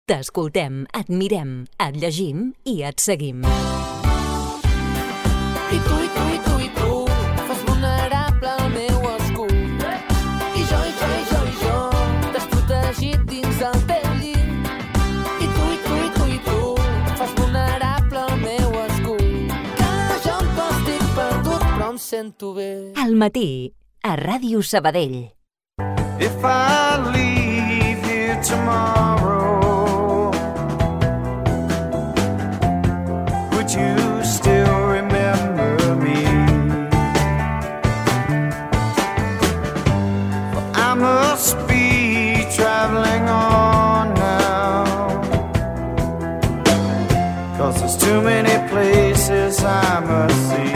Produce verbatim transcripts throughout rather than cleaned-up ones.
T'escoltem, et mirem, et llegim i et seguim. I tu, i tu, i tu, i tu, fas vulnerable el meu escut. I jo, i jo, i jo, i jo, t'has protegit dins el teu llit. I tu, i tu, i tu, i tu, fas vulnerable el meu escut. Que jo em pots dir perdut, però em sento bé. Al matí, a Ràdio Sabadell. If I leave here tomorrow, would you still remember me? For I must be traveling on now, 'cause there's too many places I must see.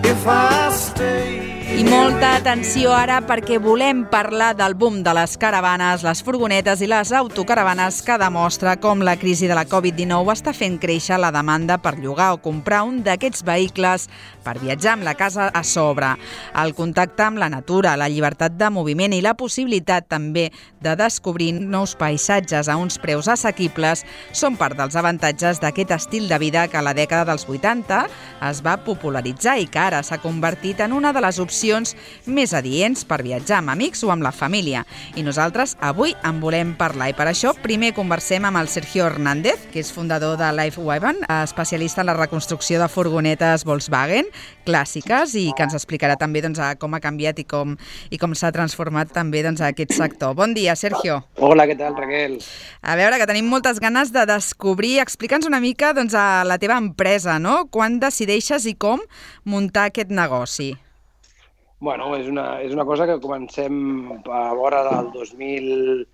If I stay. I molta atenció ara perquè volem parlar del boom de les caravanes, les furgonetes i les autocaravanes que demostra com la crisi de la covid dinou està fent créixer la demanda per llogar o comprar un d'aquests vehicles per viatjar amb la casa a sobre. El contacte amb la natura, la llibertat de moviment i la possibilitat també de descobrir nous paisatges a uns preus assequibles són part dels avantatges d'aquest estil de vida que a la dècada dels vuitanta es va popularitzar i que ara s'ha convertit en una de les opcions més adients per viatjar amb amics o amb la família. I nosaltres avui en volem parlar i per això primer conversem amb el Sergio Hernández, que és fundador de LifeWagon, especialista en la reconstrucció de furgonetes Volkswagen clàssiques i que ens explicarà també doncs, com ha canviat i com, i com s'ha transformat també doncs, aquest sector. Bon dia, Sergio. Hola, què tal, Raquel? A veure, que tenim moltes ganes de descobrir, explica'ns una mica doncs, a la teva empresa, no? Quan decideixes i com muntar aquest negoci? Bueno, és una, és una cosa que comencem a vora del dos mil,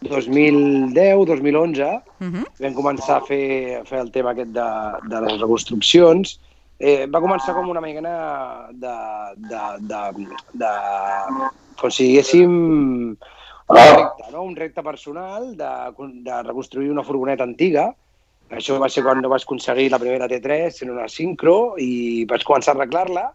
dos mil deu, dos mil onze. Uh-huh. Vam començar a fer, a fer el tema aquest de, de les reconstruccions. Eh, va començar com una mena de, de, de, de, com si diguéssim un repte, no? Un repte personal de, de reconstruir una furgoneta antiga. Això va ser quan vaig aconseguir la primera T tres en una Syncro i vaig començar a arreglar-la.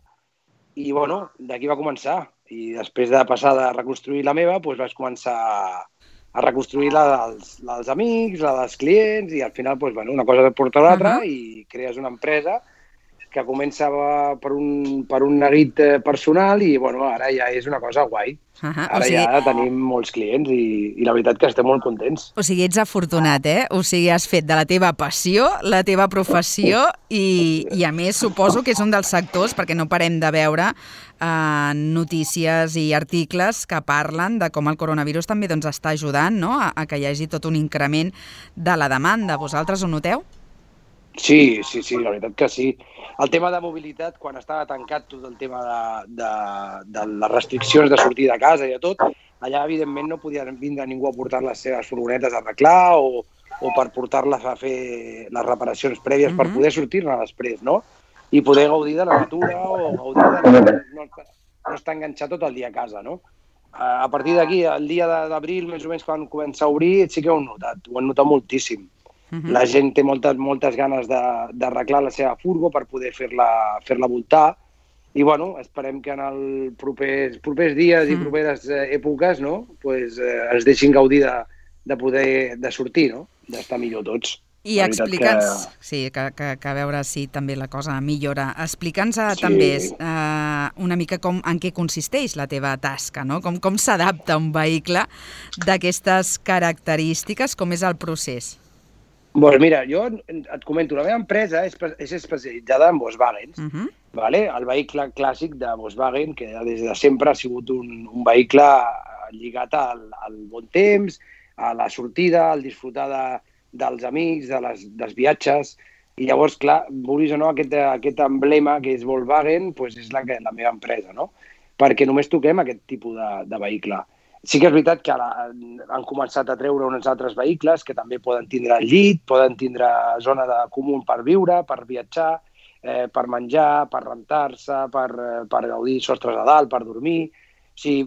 I, bueno, d'aquí va començar. I després de passar de reconstruir la meva, doncs vaig començar a reconstruir la dels, la dels amics, la dels clients, i al final, doncs, bueno, una cosa porta a l'altra, uh-huh. i crees una empresa que comença per un, per un neguit personal i, bueno, ara ja és una cosa guai. Uh-huh. Ara o sigui... ja tenim molts clients i, i la veritat que estem molt contents. O sigui, ets afortunat, eh? O sigui, has fet de la teva passió la teva professió i, i a més, suposo que és un dels sectors, perquè no parem de veure eh, notícies i articles que parlen de com el coronavirus també doncs, està ajudant, no? a, a que hi hagi tot un increment de la demanda. Vosaltres ho noteu? Sí, sí, sí, la veritat que sí. El tema de mobilitat, quan estava tancat tot el tema de, de, de les restriccions de sortir de casa i de tot, allà, evidentment, no podia vindre ningú a portar les seves furgonetes a arreglar o, o per portar-les a fer les reparacions prèvies uh-huh. per poder sortir-ne després, no? I poder gaudir de la natura o gaudir de... No, no estar enganxat tot el dia a casa, no? A partir d'aquí, el dia d'abril, més o menys, quan comença a obrir, sí que ho hem notat, ho hem notat moltíssim. Uh-huh. La gent té moltes, moltes ganes d'arreglar la seva furgo per poder fer-la fer-la voltar i, bueno, esperem que en els propers, propers dies uh-huh. i properes èpoques, no, pues, eh, ens deixin gaudir de, de poder de sortir, no? D'estar millor tots. I explica'ns, que... sí, que, que, que a veure si també la cosa millora. Explica'ns sí. també eh, una mica com, en què consisteix la teva tasca, no? Com, com s'adapta un vehicle d'aquestes característiques, com és el procés? Doncs mira, jo et comento, la meva empresa és, és especialitzada en Volkswagen, uh-huh. vale? El vehicle clàssic de Volkswagen, que des de sempre ha sigut un, un vehicle lligat al, al bon temps, a la sortida, al disfrutar de, dels amics, de les, dels viatges, i llavors, clar, vulguis o no, aquest, aquest emblema que és Volkswagen pues és la, la meva empresa, no? Perquè només toquem aquest tipus de, de vehicle. Sí que és veritat que ara han començat a treure uns altres vehicles que també poden tindre llit, poden tindre zona de comú per viure, per viatjar, eh, per menjar, per rentar-se, per, per gaudir sostres a dalt, per dormir. O sigui,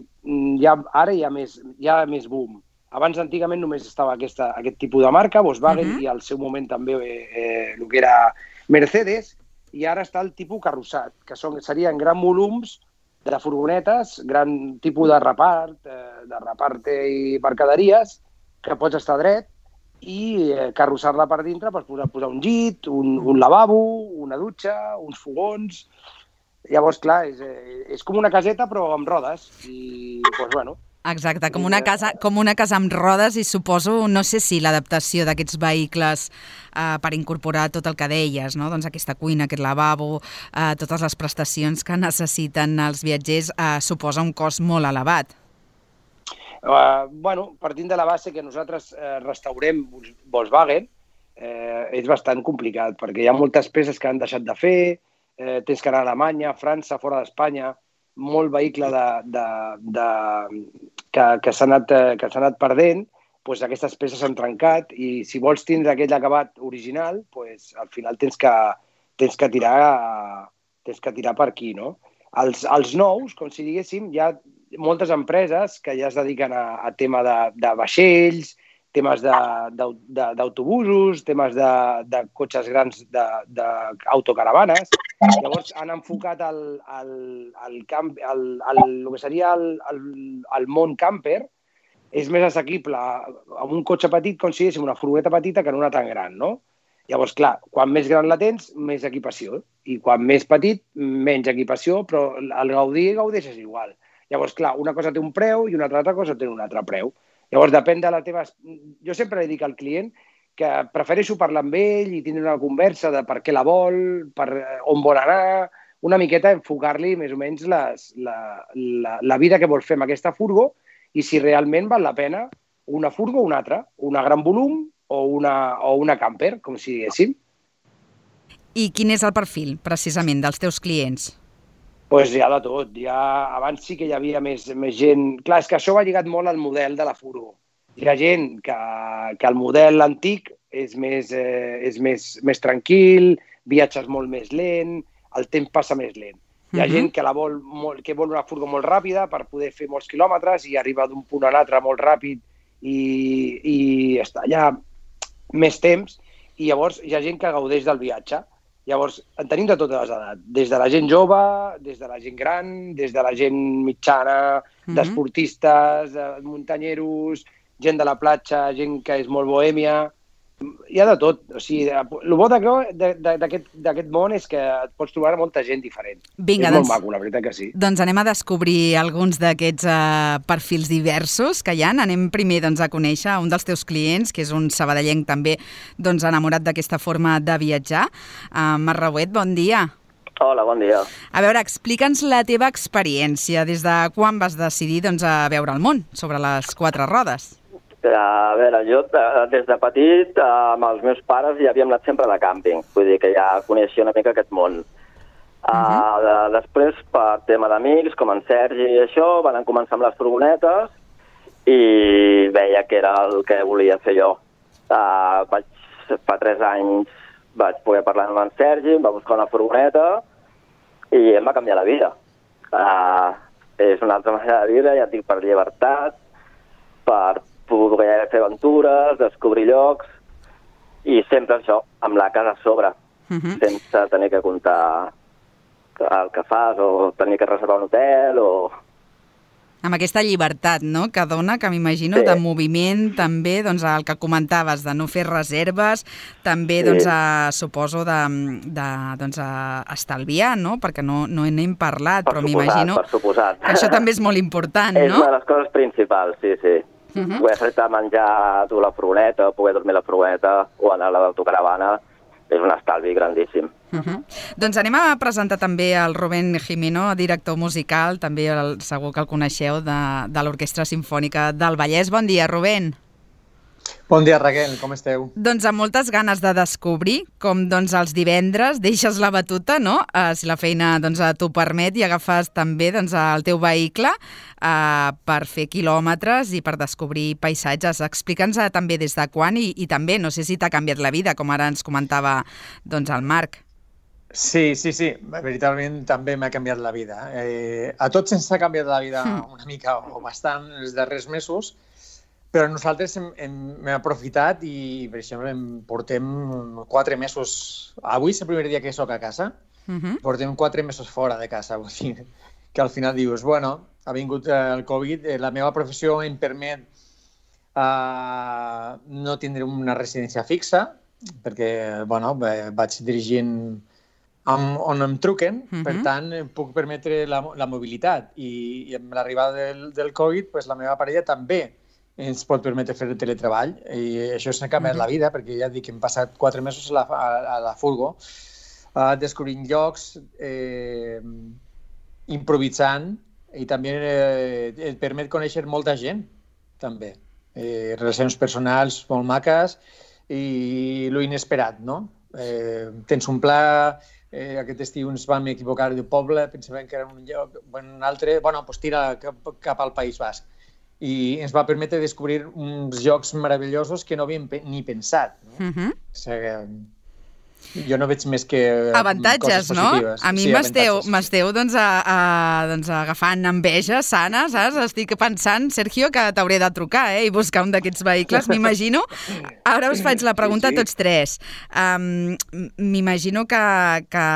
ja, ara hi ha, més, hi ha més boom. Abans, antigament, només estava aquesta, aquest tipus de marca, Volkswagen, uh-huh. i al seu moment també eh, el que era Mercedes, i ara està el tipus carrossat, que són, serien grans volums de furgonetes, gran tipus de repart, eh, de reparte i mercaderies, que pots estar dret i eh, carrossar-la per dintre, pots posar, posar un llit, un, un lavabo, una dutxa, uns fogons. Llavors, clar, és, és com una caseta però amb rodes i, doncs, bueno... Exacte, com una casa, com una casa amb rodes i suposo, no sé si l'adaptació d'aquests vehicles eh, per incorporar tot el que deies, no? Doncs aquesta cuina, aquest lavabo, eh, totes les prestacions que necessiten els viatgers, eh, suposa un cost molt elevat. Uh, bueno, partint de la base que nosaltres eh, restaurem Volkswagen, eh, és bastant complicat, perquè hi ha moltes peces que han deixat de fer, eh, tens que anar a Alemanya, a França, fora d'Espanya, molt vehicle de, de, de, que, que s'ha anat, que s'ha anat perdent, doncs aquestes peces s'han trencat i si vols tindre aquell acabat original, doncs al final tens que, tens que, tirar, tens que tirar per aquí, no? Els, els nous, com si diguéssim, hi ha moltes empreses que ja es dediquen a, a tema de, de vaixells, temes d'autobusos, temes de, de cotxes grans d'autocaravanes. Llavors han enfocat el, el, el, camp, el, el, el que seria el, el, el món camper, és més assequible amb un cotxe petit, com si diguéssim una furgoneta petita, que en una tan gran, no? Llavors, clar, quan més gran la tens, més equipació. I quan més petit, menys equipació, però al gaudir, gaudeixes igual. Llavors, clar, una cosa té un preu i una altra cosa té un altre preu. Llavors, depèn de la teva... Jo sempre li dic al client que prefereixo parlar amb ell i tindre una conversa de per què la vol, per on vol anar, una miqueta enfocar-li més o menys les, la, la, la vida que vol fer amb aquesta furgo i si realment val la pena una furgo o una altra, una gran volum o una, o una camper, com si diguéssim. I quin és el perfil, precisament, dels teus clients? Doncs pues hi ha de tot. Ja, abans sí que hi havia més, més gent... Clar, és que això va lligat molt al model de la furgo. Hi ha gent que, que el model antic és més, eh, és més, més tranquil, viatges molt més lent, el temps passa més lent. Hi ha uh-huh. gent que, la vol molt, que vol una furgo molt ràpida per poder fer molts quilòmetres i arribar d'un punt a l'altre molt ràpid i, i estar allà més temps. I llavors hi ha gent que gaudeix del viatge. Llavors, en tenim de totes les edats, des de la gent jove, des de la gent gran, des de la gent mitjana, mm-hmm. d'esportistes, de muntanyeros, gent de la platja, gent que és molt bohèmia, hi ha de tot. O sigui, el bo d'aquest món és que et pots trobar molta gent diferent. Vinga, és doncs, molt maco, la veritat que sí. Doncs anem a descobrir alguns d'aquests uh, perfils diversos que hi ha. Anem primer doncs, a conèixer un dels teus clients, que és un sabadellenc també doncs, enamorat d'aquesta forma de viatjar. Uh, Marc Rauet, bon dia. Hola, bon dia. A veure, explica'ns la teva experiència. Des de quan vas decidir doncs, a veure el món sobre les quatre rodes? A veure, jo des de petit amb els meus pares ja havíem anat sempre de càmping, vull dir que ja coneixia una mica aquest món. Uh-huh. uh, de, després, per tema d'amics, com en Sergi i això, van començar amb les furgonetes i veia que era el que volia fer jo. Uh, vaig, fa tres anys vaig poder parlar amb en Sergi, em va buscar una furgoneta i em va canviar la vida. Uh, és una altra manera de viure, ja et dic, per llibertat, per poder fer aventures, descobrir llocs i sempre això, amb la casa a sobre, uh-huh. sense tenir que comptar el que fas o tenir que reservar un hotel o... Amb aquesta llibertat, no?, que dona, que m'imagino, sí. de moviment, també, doncs, el que comentaves, de no fer reserves, també, sí. doncs, a, suposo, de, de doncs, a estalviar, no?, perquè no, no n'hem parlat, per però suposat, m'imagino per suposat. que això també és molt important, és no? És una de les coses principals, sí, sí. Uh-huh. Poder fer-te menjar a tu la furgoneta, poder dormir a la furgoneta o anar a l'autocaravana, és un estalvi grandíssim. Uh-huh. Doncs anem a presentar també el Rubén Jimeno, director musical, també el, segur que el coneixeu, de, de l'Orquestra Simfònica del Vallès. Bon dia, Rubén. Bon dia, Raquel, com esteu? Doncs amb moltes ganes de descobrir com doncs, els divendres deixes la batuta, no? Uh, si la feina doncs, t'ho permet i agafes també doncs, el teu vehicle uh, per fer quilòmetres i per descobrir paisatges. Explica'ns uh, també des de quan i, i també, no sé si t'ha canviat la vida, com ara ens comentava doncs, el Marc. Sí, sí, sí, veritablement també m'ha canviat la vida. Eh, a tots ens ha canviat la vida una mica o bastant els darrers mesos, però nosaltres hem, hem, hem aprofitat i, per exemple, em portem quatre mesos... Avui és el primer dia que soc a casa, uh-huh. portem quatre mesos fora de casa, vull dir. que al final dius, bueno, ha vingut el Covid, eh, la meva professió em permet uh, no tindre una residència fixa, perquè, bueno, vaig dirigint amb, on em truquen, uh-huh. per tant, puc permetre la, la mobilitat. I, i amb l'arribada del, del Covid, pues, la meva parella també ens pot permetre fer el teletreball, i això s'ha canviat uh-huh. la vida, perquè ja dic que hem passat quatre mesos a la, a, a la furgo, uh, descobrint llocs, eh, improvisant, i també eh, et permet conèixer molta gent, també. Eh, relacions personals molt maques i lo inesperat, no? Eh, tens un pla, eh, aquest estiu ens vam equivocar de poble, pensàvem que era un lloc, un altre, bueno, doncs tira cap, cap al País Basc. I ens va permetre descobrir uns jocs meravellosos que no havíem pe ni pensat. No? Uh-huh. O sigui, jo no veig més que avantatges, coses positives. No? A mi sí, m'esteu doncs, a, a, doncs, agafant enveja sana, saps? Estic pensant, Sergio, que t'hauré de trucar eh? i buscar un d'aquests vehicles, m'imagino. Ara us faig la pregunta sí, sí. a tots tres. Um, m'imagino que, que,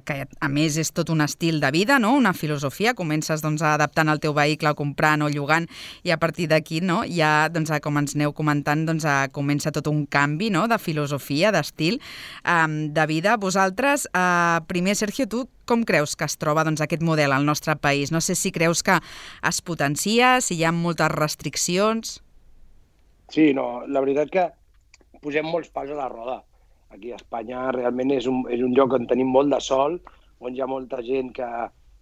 que, a més, és tot un estil de vida, no? Una filosofia. Comences doncs, adaptant el teu vehicle, comprant o llogant, i a partir d'aquí, no? ja, doncs, com ens aneu comentant, doncs, comença tot un canvi no? de filosofia, d'estil. Um, de vida. Vosaltres, eh, primer, Sergio, tu com creus que es troba doncs, aquest model al nostre país? No sé si creus que es potencia, si hi ha moltes restriccions... Sí, no, la veritat que posem molts pals a la roda. Aquí a Espanya realment és un, és un lloc on tenim molt de sol, on hi ha molta gent que,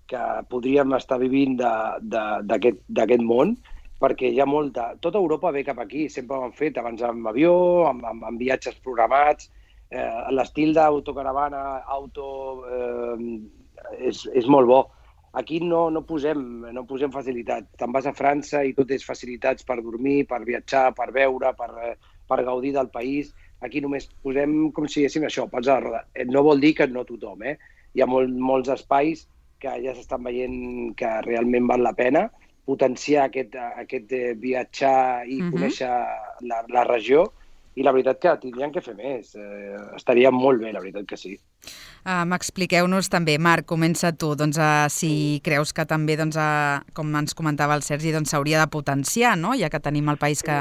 que podríem estar vivint d'aquest món, perquè hi ha molta... Tota Europa ve cap aquí, sempre ho han fet, abans amb avió, amb, amb, amb viatges programats. Eh, l'estil d'autocaravana, auto, eh, és, és molt bo. Aquí no, no, posem, no posem facilitat. Te'n vas a França i tot és facilitats per dormir, per viatjar, per veure, per, per gaudir del país. Aquí només posem com si diguéssim això, pals a la roda. No vol dir que no tothom, eh? Hi ha molt, molts espais que ja s'estan veient que realment val la pena potenciar aquest, aquest viatjar i uh-huh. conèixer la, la regió. I la veritat que tindrien que fer més. Eh, estaria molt bé, la veritat que sí. Uh, M'expliqueu-nos també, Marc, comença tu, doncs, uh, si creus que també, doncs, uh, com ens comentava el Sergi, doncs, s'hauria de potenciar, no? Ja que tenim el país que,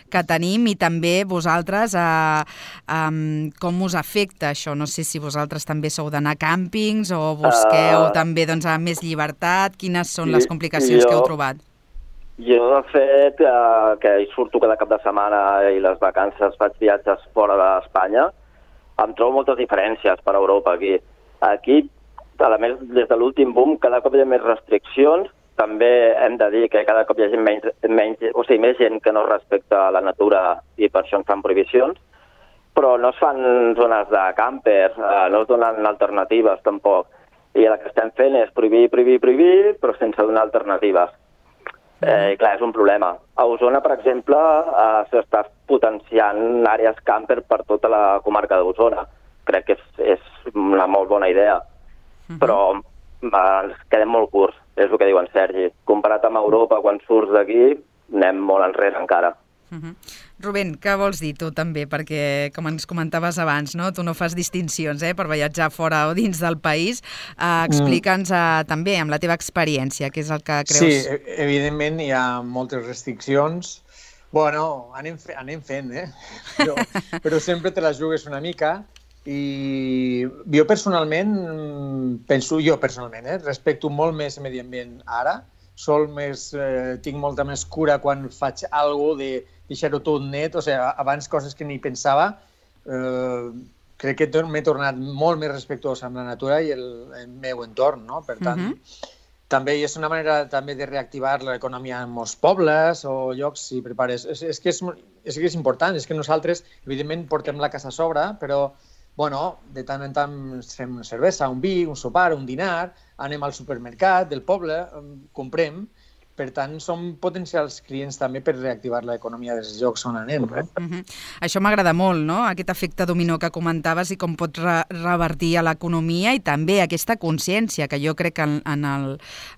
que tenim, i també vosaltres, uh, um, com us afecta això? No sé si vosaltres també sou d'anar a càmpings o busqueu uh, també doncs, a més llibertat. Quines són les complicacions jo... que heu trobat? Jo, de fet, eh, que hi surto cada cap de setmana i les vacances faig viatges fora d'Espanya, em trobo moltes diferències per Europa aquí. Aquí, a més, des de l'últim boom, cada cop hi ha més restriccions. També hem de dir que cada cop hi ha menys, menys, o sigui, més gent que no respecta la natura i per això en fan prohibicions. Però no es fan zones de camper, eh, no es donen alternatives tampoc. I el que estem fent és prohibir, prohibir, prohibir, però sense donar alternatives. Eh, clar, és un problema. A Osona, per exemple, eh, s'està potenciant àrees camper per tota la comarca d'Osona. Crec que és, és una molt bona idea. Uh-huh. Però eh, ens quedem molt curts, és el que diu en Sergi. Comparat amb Europa, quan surts d'aquí, anem molt enrere encara. Uh-huh. Rubén, què vols dir tu també? Perquè, com ens comentaves abans, no? Tu no fas distincions eh, per viatjar fora o dins del país. Uh, Explica'ns uh, també amb la teva experiència, què és el que creus? Sí, evidentment hi ha moltes restriccions. Bueno, anem, fe anem fent, eh? Però, però sempre te les jugues una mica. I jo personalment, penso jo personalment, eh, respecto molt més el medi ambient ara. Sol més, eh, tinc molta més cura quan faig alguna cosa de deixar-ho tot net, o sigui, abans coses que ni pensava. Eh, crec que m'he tornat molt més respectuós amb la natura i el, el meu entorn, no? Per tant, uh-huh. també és una manera també de reactivar l'economia en molts pobles o llocs si prepares. És, és, que és, és que és important, és que nosaltres, evidentment, portem la casa a sobre, però bueno, de tant en tant fem cervesa, un vi, un sopar, un dinar, anem al supermercat del poble, comprem, Per tant, som potencials clients també per reactivar l'economia dels llocs on anem. No? Uh-huh. Això m'agrada molt, no? Aquest efecte dominó que comentaves i com pot re revertir a l'economia i també aquesta consciència que jo crec que en, en, el,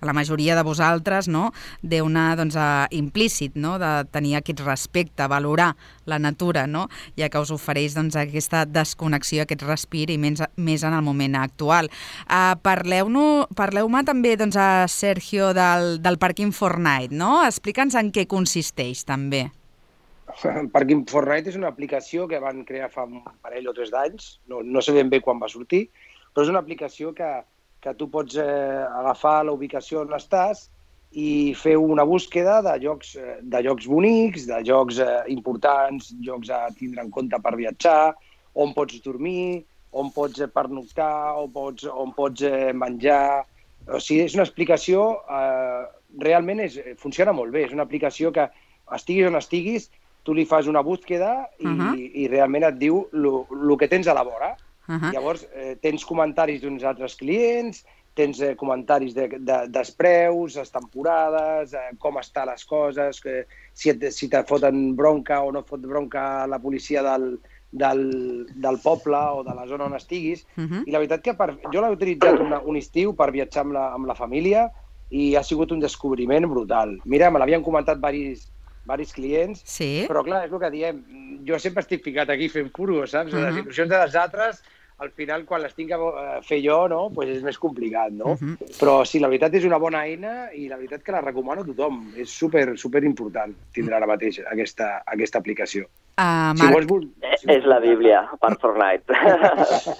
en la majoria de vosaltres, no? Deu anar doncs, a, implícit, no? De tenir aquest respecte, valorar la natura, no? Ja que us ofereix doncs, aquesta desconnexió, aquest respir i més, més en el moment actual. Uh, Parleu-me parleu també doncs, a Sergio del, del Parking Fortnite, no? Explica'ns en què consisteix, també. Parking Fortnite és una aplicació que van crear fa un parell o tres d'anys, no, no sé ben bé quan va sortir, però és una aplicació que, que tu pots eh, agafar la ubicació on estàs i fer una búsqueda de llocs, de llocs bonics, de llocs eh, importants, llocs a tindre en compte per viatjar, on pots dormir, on pots pernoctar, on pots, on pots eh, menjar. O sigui, és una explicació, eh, realment és, funciona molt bé. És una aplicació que estiguis on estiguis, tu li fas una búsqueda i, uh-huh. i realment et diu el que tens a la vora. Uh-huh. Llavors, eh, tens comentaris d'uns altres clients, tens eh, comentaris de, de, dels preus, les temporades, eh, com estan les coses, que, si, et, si te foten bronca o no fot bronca la policia del, del, del poble o de la zona on estiguis. Uh-huh. I la veritat que per, jo l'he utilitzat una, un estiu per viatjar amb la, amb la família i ha sigut un descobriment brutal. Mira, me l'havien comentat diversos, diversos clients, sí. Però clar, és el que diem, jo sempre estic ficat aquí fent furo, saps? Uh-huh. Les il·lusions dels altres, al final, quan les tinc a fer jo, no? Pues és més complicat, no? Uh-huh. Però sí, la veritat és una bona eina i la veritat que la recomano a tothom. És super, super important tindre ara mateix aquesta, aquesta aplicació. Uh, si Marc... vols, si és la Bíblia per Fortnite.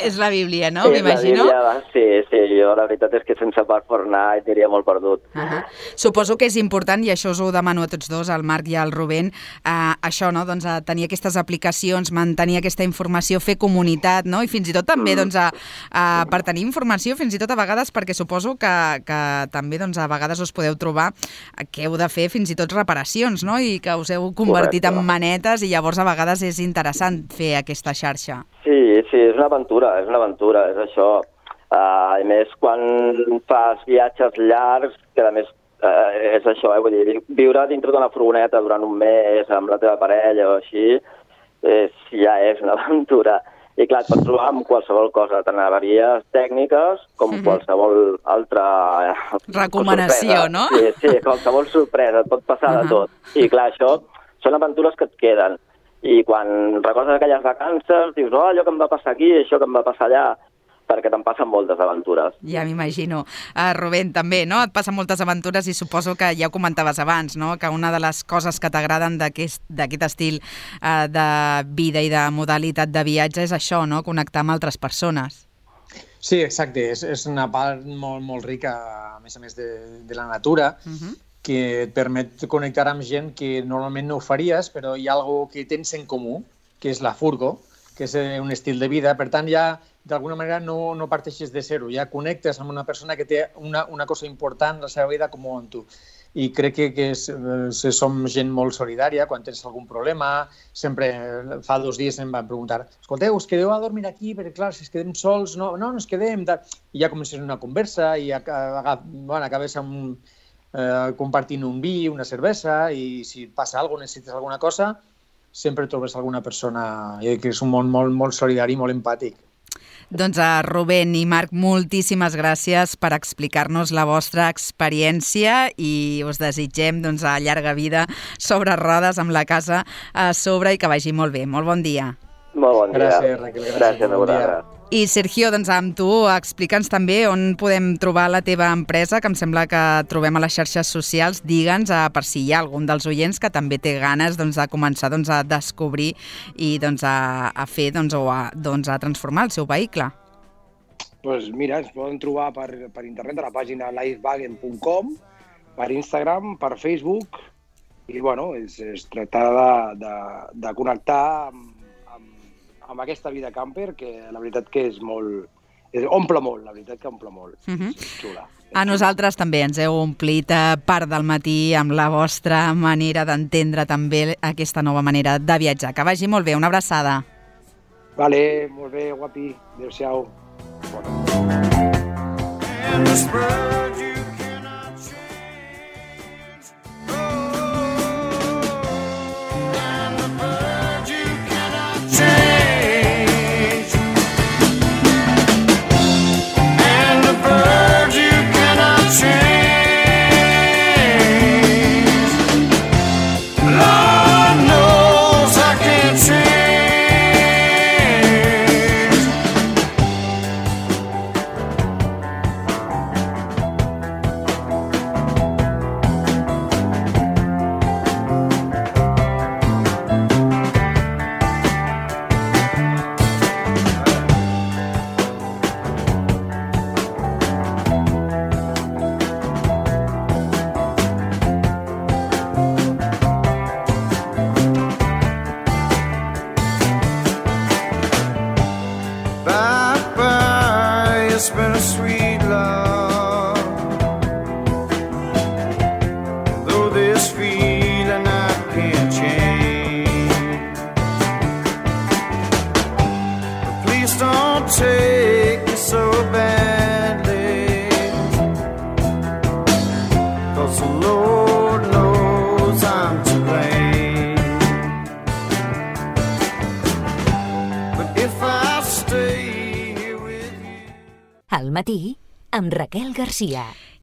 És la Bíblia, no? M'imagino. Sí, sí, jo la veritat és que sense per Fortnite diria molt perdut. Uh -huh. Suposo que és important, i això us ho demano a tots dos, al Marc i al Rubén, uh, això, no? Doncs, a tenir aquestes aplicacions, mantenir aquesta informació, fer comunitat, no? I fins i tot també doncs, a, a, per tenir informació, fins i tot a vegades, perquè suposo que, que també doncs, a vegades us podeu trobar que heu de fer fins i tot reparacions, no? I que us heu convertit Correcte. En manetes i llavors a vegades és interessant fer aquesta xarxa. Sí, sí, és una aventura, és una aventura, és això. Uh, I més quan fas viatges llargs, que a més uh, és això, eh? Vull dir, viure dintre d'una furgoneta durant un mes amb la teva parella o així, és, ja és una aventura. I clar, et pots trobar amb qualsevol cosa, tant avaries tècniques com mm-hmm. qualsevol altra... recomanació, no? Sí, sí, qualsevol sorpresa, et pot passar uh-huh. de tot. I clar, això són aventures que et queden. I quan recordes aquelles vacances, dius, oh, allò que em va passar aquí, això que em va passar allà, perquè te'n passen moltes aventures. Ja m'imagino. Uh, Rubén, també, no? Et passen moltes aventures i suposo que ja ho comentaves abans, no? Que una de les coses que t'agraden d'aquest estil uh, de vida i de modalitat de viatge és això, no? Connectar amb altres persones. Sí, exacte. És, és una part molt, molt rica, a més a més, de, de la natura, uh-huh. que et permet connectar amb gent que normalment no ho faries, però hi ha alguna que tens en comú, que és la furgo, que és un estil de vida. Per tant, ja d'alguna manera no, no parteixes de zero, ja connectes amb una persona que té una, una cosa important a la seva vida com amb tu. I crec que, que és, eh, som gent molt solidària. Quan tens algun problema, sempre fa dos dies em van preguntar, escolteu, us quedeu a dormir aquí? Perquè clar, si es quedem sols, no, no, no ens quedem. I ja comences una conversa i bueno, acabes amb Eh, compartint un vi, una cervesa, i si et passa alguna cosa, necessites alguna cosa, sempre trobes alguna persona que és un món molt, molt solidari i molt empàtic. Doncs a Rubén i Marc, moltíssimes gràcies per explicar-nos la vostra experiència i us desitgem doncs, a llarga vida sobre rodes amb la casa a sobre i que vagi molt bé. Molt bon dia. Molt bon dia. Gràcies, Raquel. Gràcies, gràcies bon dia. I Sergio, doncs amb tu, explica'ns també on podem trobar la teva empresa, que em sembla que trobem a les xarxes socials. Digue'ns, per si hi ha algun dels oients que també té ganes doncs, de començar doncs, a descobrir i doncs, a, a fer doncs, o a, doncs, a transformar el seu vehicle. Pues mira, ens poden trobar per, per internet a la pàgina lifewagen punt com, per Instagram, per Facebook, i bueno, és, és tractar de, de, de connectar amb amb aquesta vida camper, que la veritat que és molt... És, omple molt, la veritat que omple molt. Uh-huh. És xula. A nosaltres també ens heu omplit part del matí amb la vostra manera d'entendre també aquesta nova manera de viatjar. Que vagi molt bé, una abraçada. Vale, molt bé, guapi. Adéu-siau. Bona. 'cause the Lord knows I'm to blame. But if I stay here with you... Al matí, amb Raquel Garcia.